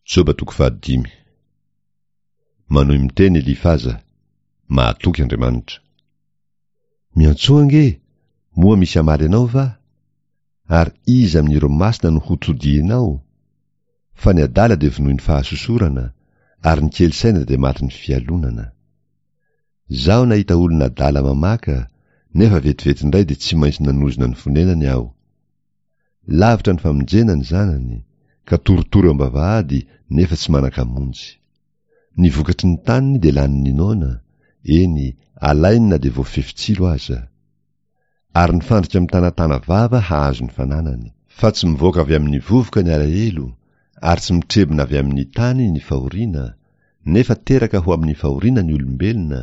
Joba toko fahadimy. Manohy miteny Elifaza, Mahatoky Andriamanitra. Miantsoa ange, moa misy hamaly anao va? Ary iza amin'ireo masina no hotodihinao? Fa ny adala dia vonoin'ny fahasosorana, ary ny kely saina dia matin'ny fialonana. Izaho nahita olona adala mamaka, nefa vetivety indray dia tsy maintsy nanozona ny fonenany aho. Lavitra ny famonjena ny zanany, ka torotoro eo am-bavahady nefa tsy manan-kamonjy. Ny vokatry ny taniny dia lanin'ny noana, eny, alainy na dia voafefy tsilo aza. Ary ny fandrika mitanatana vava hahazo ny fananany. Fa tsy mivoaka avy amin'ny vovoka ny alahelo, ary tsy mitrebona avy amin'ny tany ny fahoriana, nefa teraka ho amin'ny fahoriana ny olombelona,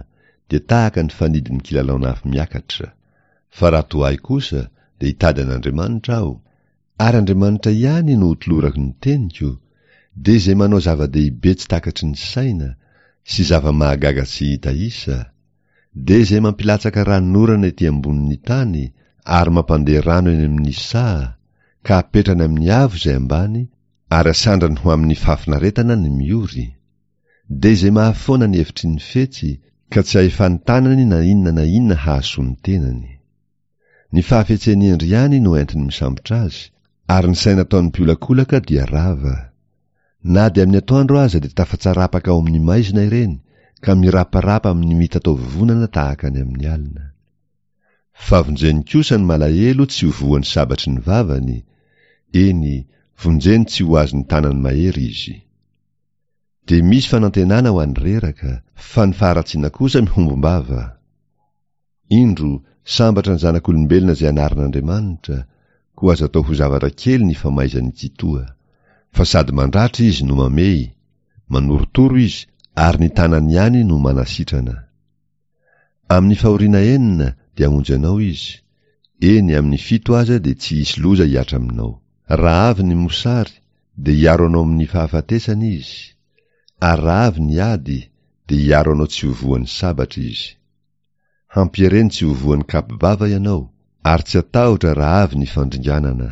dia tahaka ny fanidin'ny kilalaon'afo miakatra. Fa raha toa ahy kosa, dia hitady an'Andriamanitra aho, ary Andriamanitra ihany no hotolorako ny teniko, dia izay manao zava-dehibe tsy takatry ny saina, sy zava-mahagaga tsy hita isa, dia izay mampilatsaka ranonorana ety ambonin'ny tany ary mampandeha rano eny amin'ny saha, ka apetrany amin'ny avo izay ambany ary asandrany ho amin'ny fahafinaretana ny miory, dia izay mahafoana ny hevitry ny fetsy, ka tsy ahefan'ny tanany na inona na inona hahasoa ny tenany. Ny fahafetsen'ny hendry ihany no entiny misambotra azy, ary ny saina ataon'ny mpiolakolaka dia rava. Na dia amin'ny atoandro aza dia tafatsarapaka ao amin'ny maizina ireny, ka miraparapa amin'ny mitataovovonana tahaka ny amin'ny alina. Fa vonjeny kosa ny malahelo tsy ho voan'ny sabatry ny vavany, eny, vonjeny tsy ho azon'ny tanany mahery izy. Dia misy fanantenana ho an'ny reraka, fa ny faharatsiana kosa mihombom-bava. Indro, sambatra ny zanak'olombelona izay anarin'Andriamanitra, koa aza atao ho zavatra kely ny famaizan'ny tsitoha. Fa sady mandratra izy no mamehy, manorotoro izy ary ny tanany ihany no manasitrana. Amin'ny fahoriana enina dia hamonjy anao izy, eny amin'ny fito aza dia tsy hisy loza hihatra aminao. Raha avy ny mosary dia hiaro anao amin'ny fahafatesana izy, ary raha avy ny ady dia hiaro anao tsy ho voan'ny sabatra izy. Hampiereny tsy ho voan'ny kapo-bava ianao, ary tsy hatahotra raha avy ny fandringanana.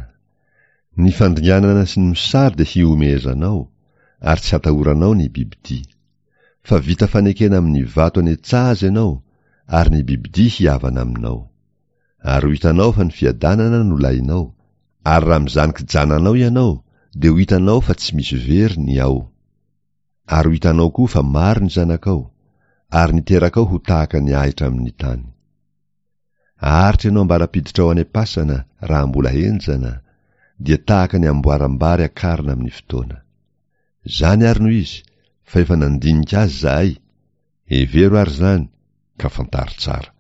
Ny fandringanana sy ny mosary dia hihomehezanao, ary tsy hatahoranao ny bibidia. Fa vita fanekena amin'ny vato any an-tsaha aza ianao, ary ny bibidia hihavana aminao. Ary ho hitanao fa ny fiadanana no lahinao, ary raha mizaha ny kijananao ianao, dia ho hitanao fa tsy misy very ny ao. Ary ho hitanao koa fa maro ny zanakao, ary ny terakao ho tahaka ny ahitra amin'ny tany. Aharitra ianao ambara-piditrao any am-pasana raha mbola henjana, dia tahaka ny amboaram-bary akarina amin'ny fotoana. Izany ary no izy, fa efa nandinika azy izahay, hevero ary izany, ka fantaro tsara.